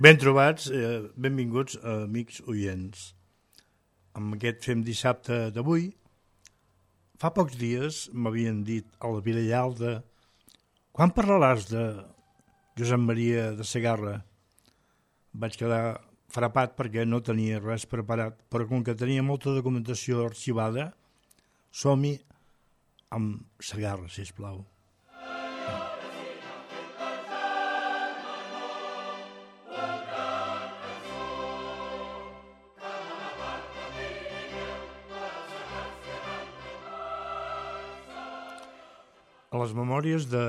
Ben trobats, benvinguts, amics oients. Amb aquest Fem Dissabte d'avui, fa pocs dies m'havien dit a la Vilellalda: quan parlaràs de Josep Maria de Segarra? Vaig quedar frapat perquè no tenia res preparat, però com que tenia molta documentació arxivada, som-hi amb Segarra, sisplau. A les memòries de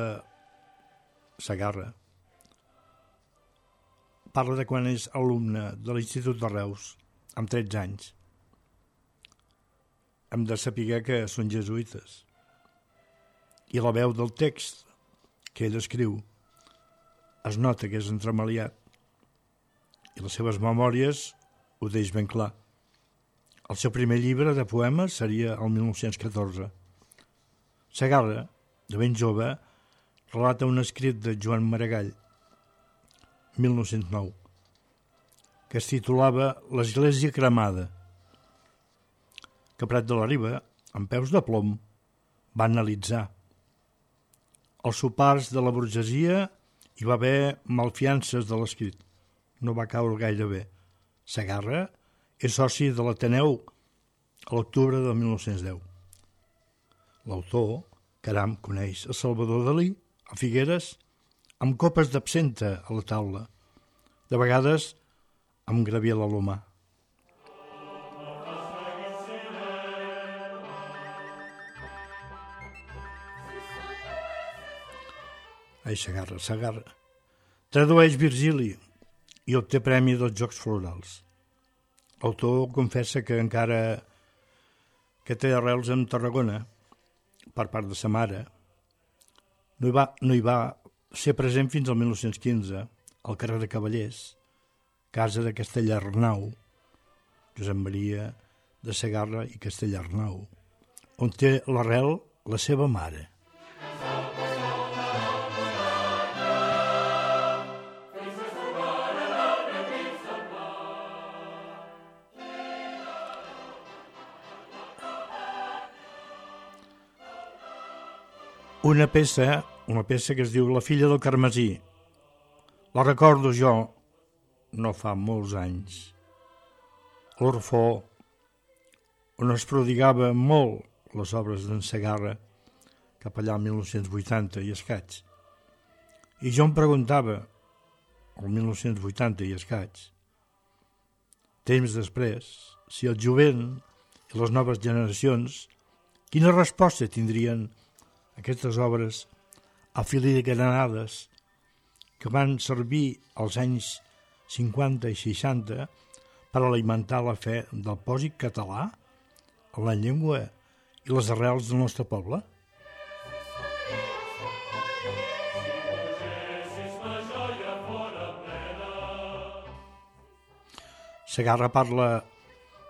Segarra parla de quan és alumne de l'Institut de Reus, amb 13 anys. Hem de saber que són jesuïtes. I la veu del text que ell escriu es nota que és entremaliat. I les seves memòries ho deix ben clar. El seu primer llibre de poemes seria el 1914. Segarra, de ben jove, relata un escrit de Joan Maragall, 1909, que es titulava L'església cremada, que Prat de la Riba, amb peus de plom, va analitzar. Als sopars de la burgesia hi va haver malfiances de l'escrit. No va caure gaire bé. Segarra és soci de l'Ateneu a l'octubre de 1910. L'autor, caram, coneix a Salvador Dalí, a Figueres, amb copes d'absenta a la taula, de vegades amb Gabriel Alomar. Ai, Segarra. Tradueix Virgili i obté premi dels Jocs Florals. L'autor confessa que encara que té arrels en Tarragona, per part de sa mare, no hi va ser present fins al 1915, al carrer de Cavallers, casa de Castellarnau, Josep Maria de Segarra i Castellarnau, on té l'arrel la seva mare. Una peça que es diu La filla del Carmesí. La recordo jo, no fa molts anys. L'Orfeó, on es prodigava molt les obres d'en Segarra, cap allà al 1980 i escaig. I jo em preguntava, el 1980 i escaig, temps després, si el jovent i les noves generacions, quina resposta tindrien aquestes obres afiligrades que van servir als anys 50 i 60 per alimentar la fe del pòsit català, la llengua i les arrels del nostre poble? Segarra parla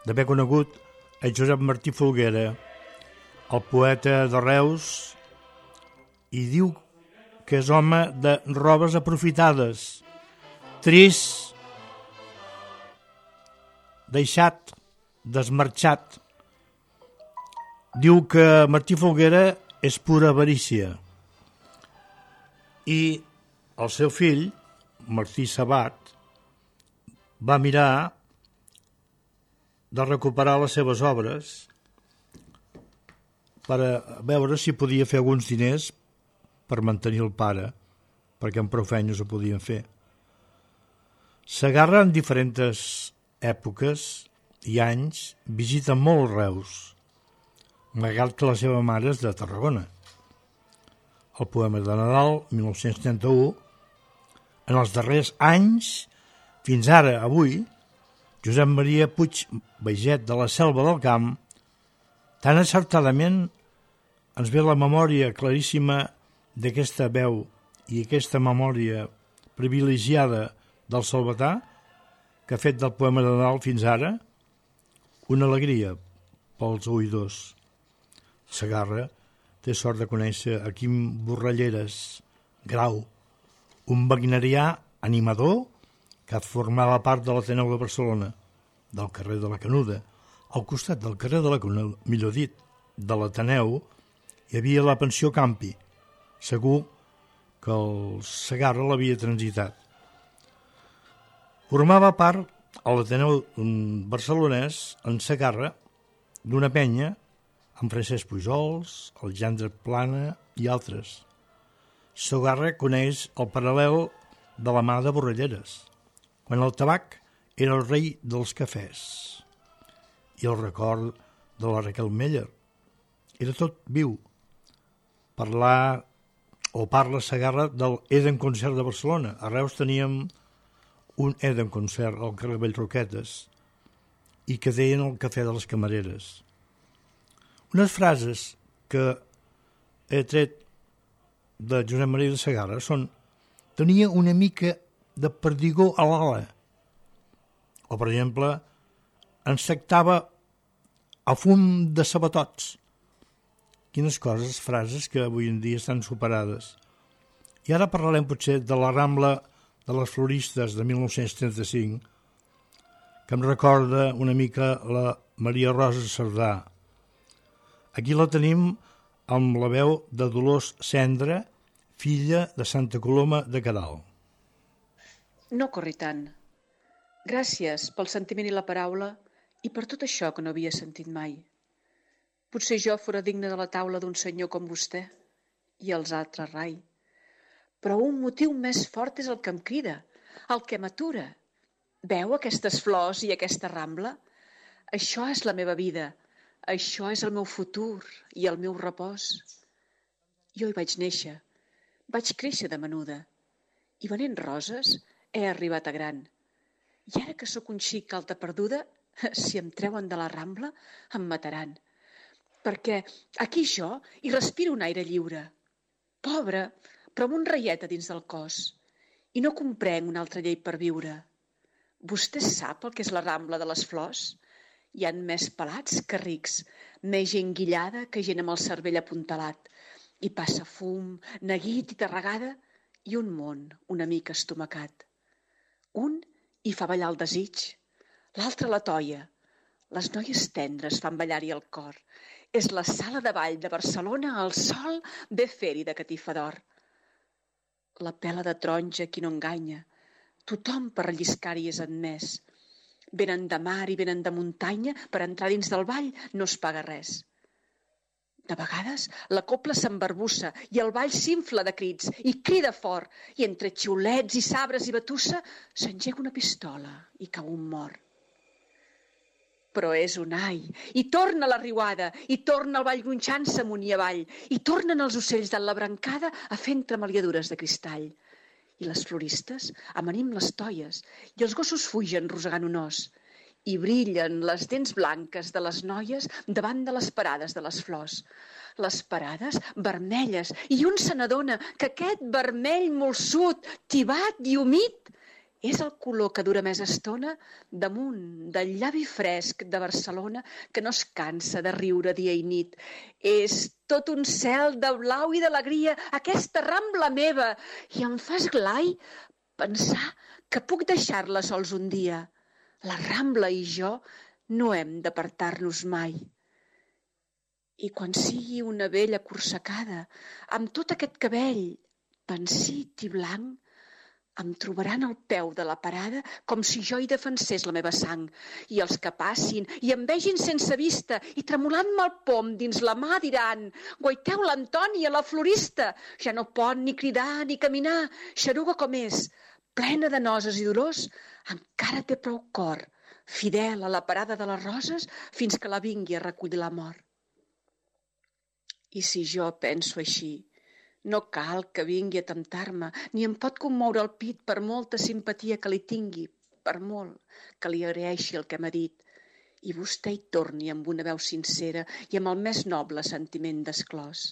d'haver conegut a Josep Martí Folguera, el poeta de Reus, i diu que és home de robes aprofitades, trist, deixat, desmarxat. Diu que Martí Folguera és pura avarícia. I el seu fill, Martí Sabat, va mirar de recuperar les seves obres per veure si podia fer alguns diners per mantenir el pare, perquè amb prou feines ho podien fer. Segarra en diferents èpoques i anys visita molt Reus, malgrat que la seva mare és de Tarragona. El poema de Nadal, 1931, en els darrers anys, fins ara, avui, Josep Maria Puig Baiget de la Selva del Camp, tan acertadament ens ve la memòria claríssima d'aquesta veu i aquesta memòria privilegiada del Salvatà, que ha fet del poema de Nadal fins ara una alegria pels oïdors. Segarra té sort de conèixer a Quim Borralleres Grau, un wagnerià animador que formava part de l'Ateneu de Barcelona, del carrer de la Canuda. Al costat del carrer de la Canuda, millor dit, de l'Ateneu, hi havia la pensió Campi. Segur que el Segarra l'havia transitat. Formava part a l'Ateneu barcelonès, en Segarra, d'una penya amb Francesc Pujols, Alexandre Plana i altres. Segarra coneix el paral·lel de la mà de Borrelleres, quan el tabac era el rei dels cafès, i el record de la Raquel Meller. Era tot viu. Parla Segarra del Eden Concert de Barcelona. A Reus teníem un Eden Concert al carrer Vallroquetes i que deien el cafè de les camareres. Unes frases que he tret de Josep Maria de Segarra són: tenia una mica de perdigó a l'ala, o per exemple, ensectava a fum de sabatots. Quines coses, frases que avui en dia estan superades. I ara parlarem potser de la Rambla de les Floristes de 1935, que em recorda una mica la Maria Rosa Cerdà. Aquí la tenim amb la veu de Dolors Cendra, filla de Santa Coloma de Queralt. No corri tant. Gràcies pel sentiment i la paraula i per tot això que no havia sentit mai. Potser jo fora digne de la taula d'un senyor com vostè i els altres rai. Però un motiu més fort és el que em crida, el que m'atura. Veu aquestes flors i aquesta rambla? Això és la meva vida, això és el meu futur i el meu repòs. Jo hi vaig néixer, vaig créixer de menuda i venent roses he arribat a gran. I ara que sóc un xic alta perduda, si em treuen de la rambla em mataran. Perquè aquí jo hi respiro un aire lliure. Pobre, però amb un reiet a dins del cos. I no comprenc una altra llei per viure. Vostè sap el que és la Rambla de les Flors? Hi han més pelats que rics, més gent guillada que gent amb el cervell apuntalat. Hi passa fum, neguit i tarregada, i un món una mica estomacat. Un hi fa ballar el desig, l'altre la toia. Les noies tendres fan ballar-hi el cor. És la sala de ball de Barcelona al sol ve fer-hi de catifa d'or. La pela de taronja qui no enganya. Tothom per relliscar-hi és admès. Venen de mar i venen de muntanya, per entrar dins del ball no es paga res. De vegades la copla s'embarbussa i el ball s'infla de crits i crida fort, i entre xiulets i sabres i batussa s'engega una pistola i cau un mort. Però és un ai, i torna la riuada, i torna el ball gronxant-se amunt i avall, i tornen els ocells de la brancada a fer entremaliadures de cristall. I les floristes amanim les toies, i els gossos fugen rosegant un os, i brillen les dents blanques de les noies davant de les parades de les flors. Les parades vermelles, i un se n'adona que aquest vermell molsut, tibat i humit, és el color que dura més estona damunt del llavi fresc de Barcelona que no es cansa de riure dia i nit. És tot un cel de blau i d'alegria, aquesta Rambla meva, i em fa esglai pensar que puc deixar-la sols un dia. La Rambla i jo no hem d'apartar-nos mai. I quan sigui una vella corsacada, amb tot aquest cabell pensit i blanc, em trobaran al peu de la parada com si jo hi defensés la meva sang. I els que passin i em vegin sense vista i tremolant-me el pom dins la mà diran: guaiteu l'Antònia, la florista, ja no pot ni cridar ni caminar, xeruga com és, plena de noses i dolors, encara té prou cor, fidel a la parada de les roses fins que la vingui a recollir la mort. I si jo penso així, no cal que vingui a temptar-me, ni em pot commoure el pit per molta simpatia que li tingui, per molt que li agraeixi el que m'ha dit, i vostè hi torni amb una veu sincera i amb el més noble sentiment d'esclòs.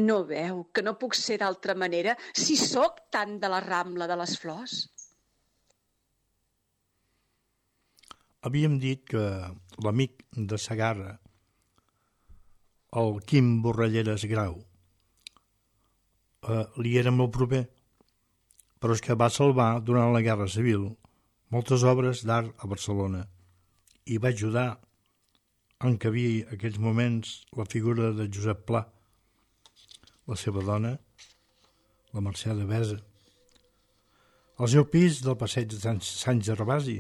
No veu que no puc ser d'altra manera si sóc tant de la Rambla de les Flors? Havíem dit que l'amic de Segarra, el Quim Borrelleres Grau, li era molt proper, però és que va salvar, durant la Guerra Civil, moltes obres d'art a Barcelona i va ajudar a encabir aquells moments la figura de Josep Pla, la seva dona, la Mercè de Besa, al seu pis del passeig de Sant Gervasi.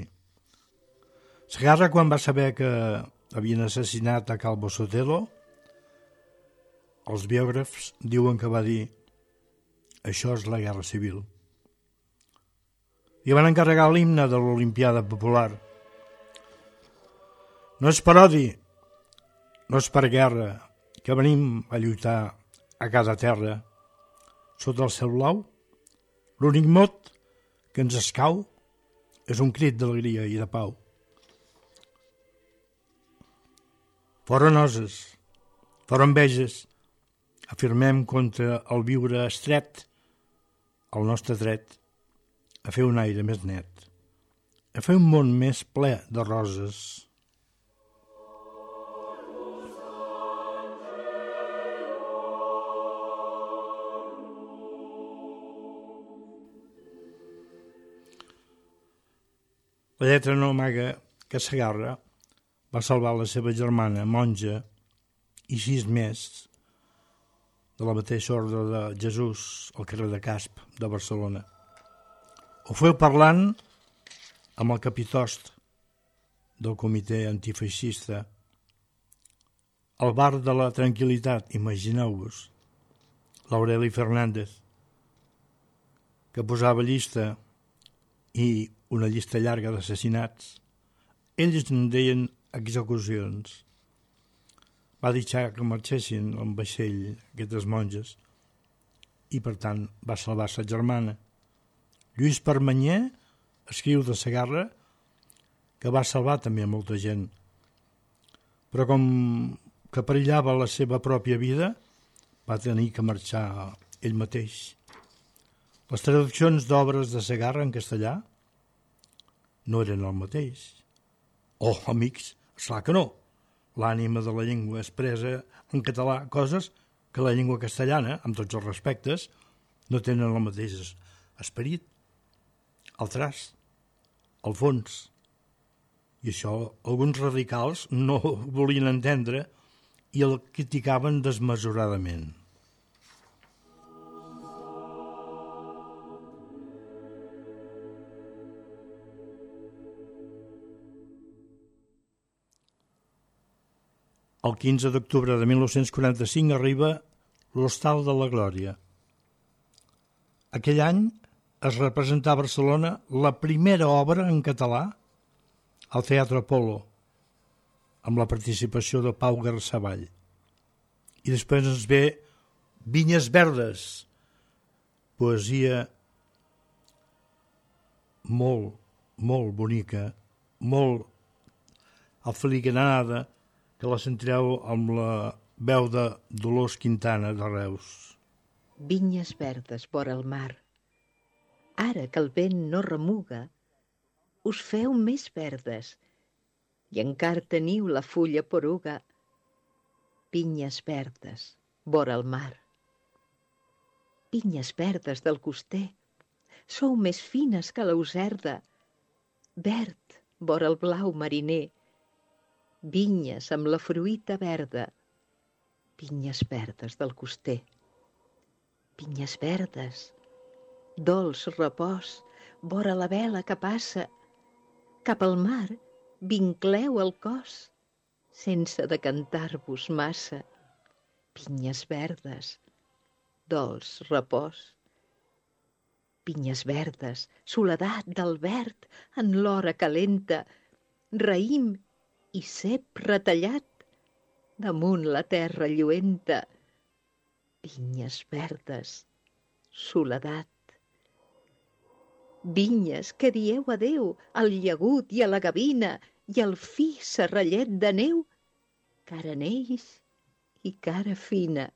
Segarra, quan va saber que havien assassinat a Calvo Sotelo, els biògrafs diuen que va dir: això és la Guerra Civil. I van encarregar l'himne de l'Olimpiada Popular. No és per odi, no és per guerra, que venim a lluitar a cada terra. Sota el cel blau, l'únic mot que ens escau és un crit d'alegria i de pau. Fora noses, fora enveges, afirmem contra el viure estret, el nostre dret a fer un aire més net, a fer un món més ple de roses. La lletra no amaga que Segarra va salvar la seva germana, monja, i 6 més, de la mateixa ordre de Jesús al carrer de Casp de Barcelona. Ho feu parlant amb el capitost del comitè antifeixista al bar de la Tranquil·litat, imagineu-vos, l'Aureli Fernández, que posava llista i una llista llarga d'assassinats. Ells en deien execucions. Va deixar que marxessin amb vaixell aquestes monges i, per tant, va salvar sa germana. Lluís Permanyer escriu de Segarra que va salvar també a molta gent, però com que perillava la seva pròpia vida, va tenir que marxar ell mateix. Les traduccions d'obres de Segarra en castellà no eren el mateix. Oh, amics, esclar que no. L'ànima de la llengua expressa en català coses que la llengua castellana, amb tots els respectes, no tenen el mateix esperit, el traç, el fons. I això alguns radicals no ho volien entendre i el criticaven desmesuradament. El 15 d'octubre de 1945 arriba l'Hostal de la Glòria. Aquell any es representà a Barcelona la primera obra en català al Teatre Apol·lo, amb la participació de Pau Garsavall. I després ens ve Vinyes Verdes, poesia molt, molt bonica, molt afiliganada, que la sentireu amb la veu de Dolors Quintana de Reus. Vinyes verdes vora el mar, ara que el vent no remuga, us feu més verdes i encara teniu la fulla poruga. Vinyes verdes vora el mar. Vinyes verdes del coster, sou més fines que l'auserda, verd vora el blau mariner. Vinyes amb la fruita verda, vinyes verdes del coster. Vinyes verdes, dolç repòs, vora la vela que passa. Cap al mar vincleu el cos, sense decantar-vos massa. Vinyes verdes, dolç repòs. Vinyes verdes, soledat del verd en l'hora calenta, raïm i cep retallat damunt la terra lluenta. Vinyes verdes, soledat. Vinyes que dieu adeu al llagut i a la gavina i al fi serrallet de neu, cara neix i cara fina.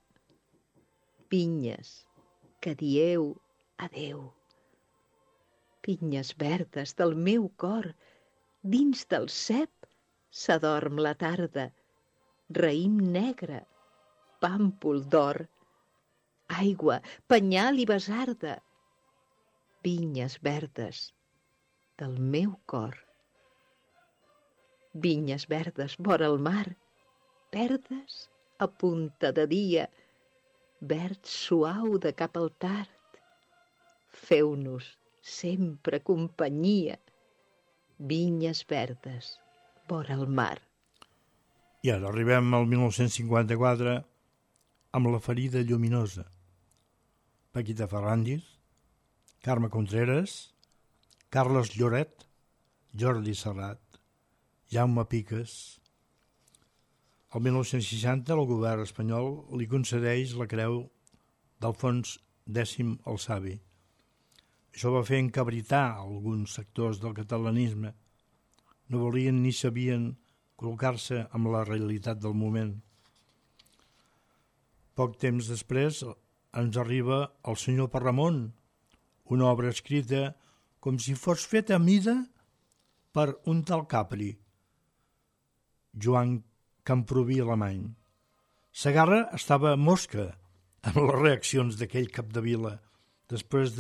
Vinyes que dieu adeu. Vinyes verdes del meu cor, dins del cep s'adorm la tarda, raïm negre, pàmpol d'or, aigua, penyal i basarda. vinyes verdes del meu cor. Vinyes verdes vora el mar, verdes a punta de dia, verd suau de cap al tard. Feu-nos sempre companyia, vinyes verdes vora el mar. I ara arribem al 1954 amb La ferida lluminosa. Paquita Ferràndiz, Carme Contreras, Carles Lloret, Jordi Serrat, Jaume Piques. El 1960 el govern espanyol li concedeix la creu d'Alfons X el Savi. Això va fer encabritar alguns sectors del catalanisme. No volien ni sabien col·locar-se amb la realitat del moment. Poc temps després ens arriba El senyor Parramon, una obra escrita com si fos feta a mida per un tal Capri, Joan Camproví Alemany. Segarra estava mosca amb les reaccions d'aquell capdevila. Després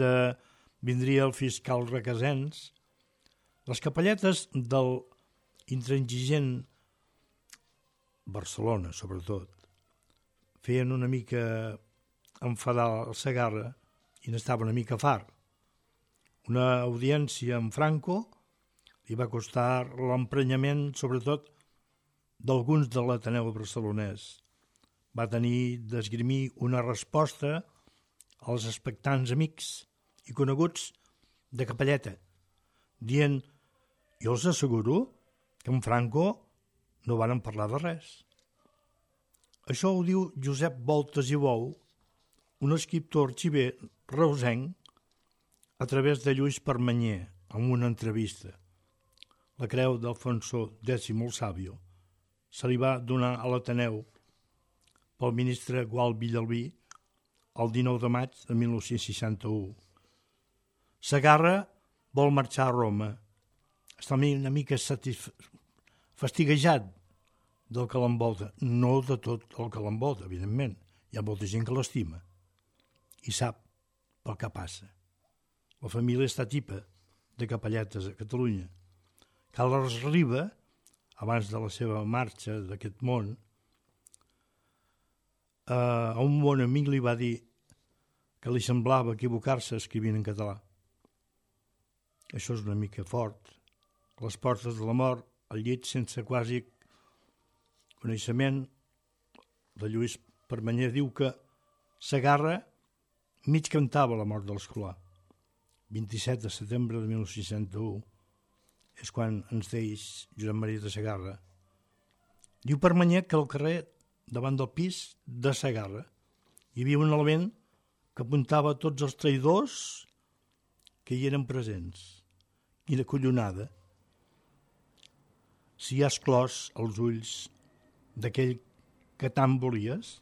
vindria el fiscal Requesens. Les capelletes del intransigent Barcelona, sobretot, feien una mica enfadar el Segarra i n'estava una mica far. Una audiència amb Franco li va costar l'emprenyament, sobretot, d'alguns de l'Ateneu barcelonès. Va tenir d'esgrimir una resposta als expectants amics i coneguts de capelleta, dient: jo els asseguro que amb Franco no varen parlar de res. Això ho diu Josep Voltas i Bou, un escriptor arxiver reusenc, a través de Lluís Permanyer, en una entrevista. La creu d'Alfonso X el Sàvio se li va donar a l'Ateneu pel ministre Gual Villalbí el 19 de maig de 1961. Segarra vol marxar a Roma. Està una mica fastiguejat del que l'envolta. No de tot el que l'envolta, evidentment. Hi ha molta gent que l'estima i sap pel que passa. La família està tipa de capelletes a Catalunya. Carles Riba, abans de la seva marxa d'aquest món, a un bon amic li va dir que li semblava equivocar-se escrivint en català. Això és una mica fort. A les portes de la mort, al llit sense quasi coneixement, de Lluís Permanyer diu que Segarra mig cantava la mort de l'escolà. 27 de setembre de 1961 és quan ens deix Josep Maria de Segarra. Diu Permanyer que al carrer, davant del pis de Segarra, hi havia un element que apuntava a tots els traïdors que hi eren presents. Quina collonada! Si has clos els ulls d'aquell que tant volies,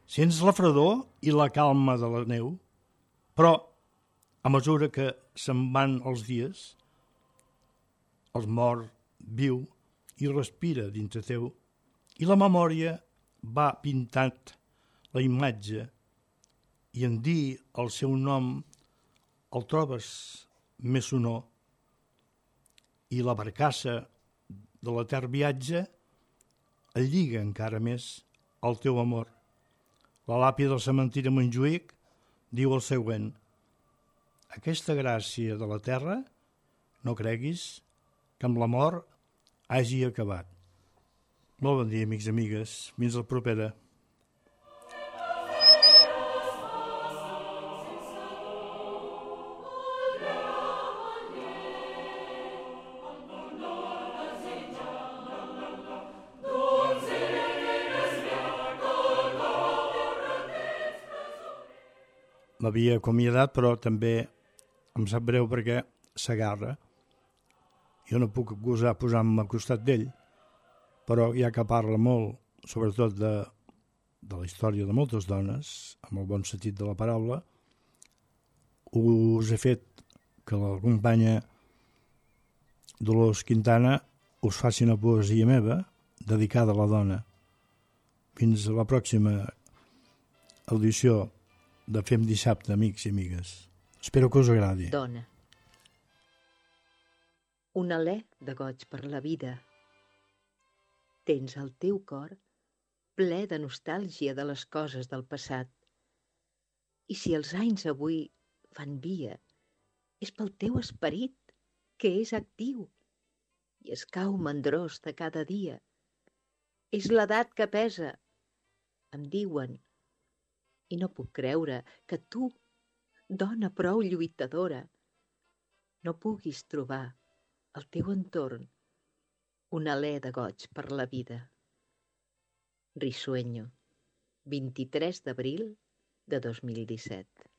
sents la fredor i la calma de la neu, però a mesura que se'n van els dies, el mort viu i respira dintre teu, i la memòria va pintant la imatge, i en dir el seu nom el trobes més sonor, i la barcassa de l'etern viatge el lliga encara més al teu amor. La làpida del cementiri de Montjuïc diu el següent: aquesta gràcia de la terra, no creguis que amb la mort hagi acabat. Molt bon dia, amics i amigues. Fins la propera. M'havia acomiadat, però també em sap greu perquè Segarra, jo no puc acusar posant-me al costat d'ell, però ja que parla molt, sobretot de la història de moltes dones, amb el bon sentit de la paraula, us he fet que la companya Dolors Quintana us faci una poesia meva dedicada a la dona. Fins a la pròxima audició de Fem Dissabte, amics i amigues. Espero que us agradi. Dona. Un alè de goig per la vida. Tens el teu cor ple de nostàlgia de les coses del passat. I si els anys avui fan via, és pel teu esperit, que és actiu i es cau mandrós de cada dia. És l'edat que pesa, em diuen, i no puc creure que tu, dona prou lluitadora, no puguis trobar al teu entorn un alè de goig per la vida. Risueño, 23 d'abril de 2017.